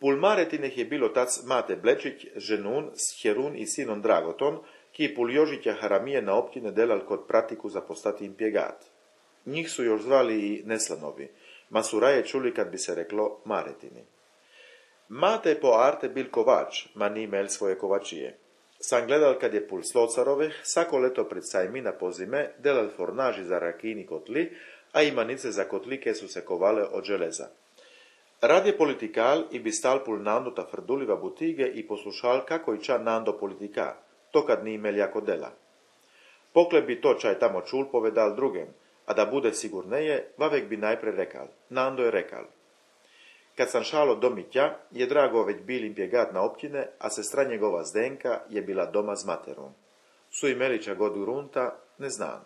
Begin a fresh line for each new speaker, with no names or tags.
Pul Maretineh je bil otac Mate Blečić, ženun, Scherun i sinon Dragoton, ki pul Jožića Haramije na općine delal kod pratiku za postati impjegat. Njih su još zvali i Neslanovi, ma su raje čuli kad bi se reklo Maretini. Mate po arte bil kovač, ma ni imel svoje kovačije. Sam gledal kad je pul Slocarove, sako leto pred sajmina po zime, delal fornaži za rakini kotli, a imanice za kotlike su se kovale od železa. Rad je politikal i bi stal pul Nando ta frduliva butige i poslušal kako i ča Nando politika, to kad ni imel jako dela. Pokle bi to čaj tamo čul povedal drugem, a da bude sigurneje, vavek bi najpre rekal, Nando je rekal. Kad sam šalo do Mitja, je Drago već bil impjegat na općine, a sestra njegova Zdenka je bila doma s materom. Su imeli ča god grunta, ne znam.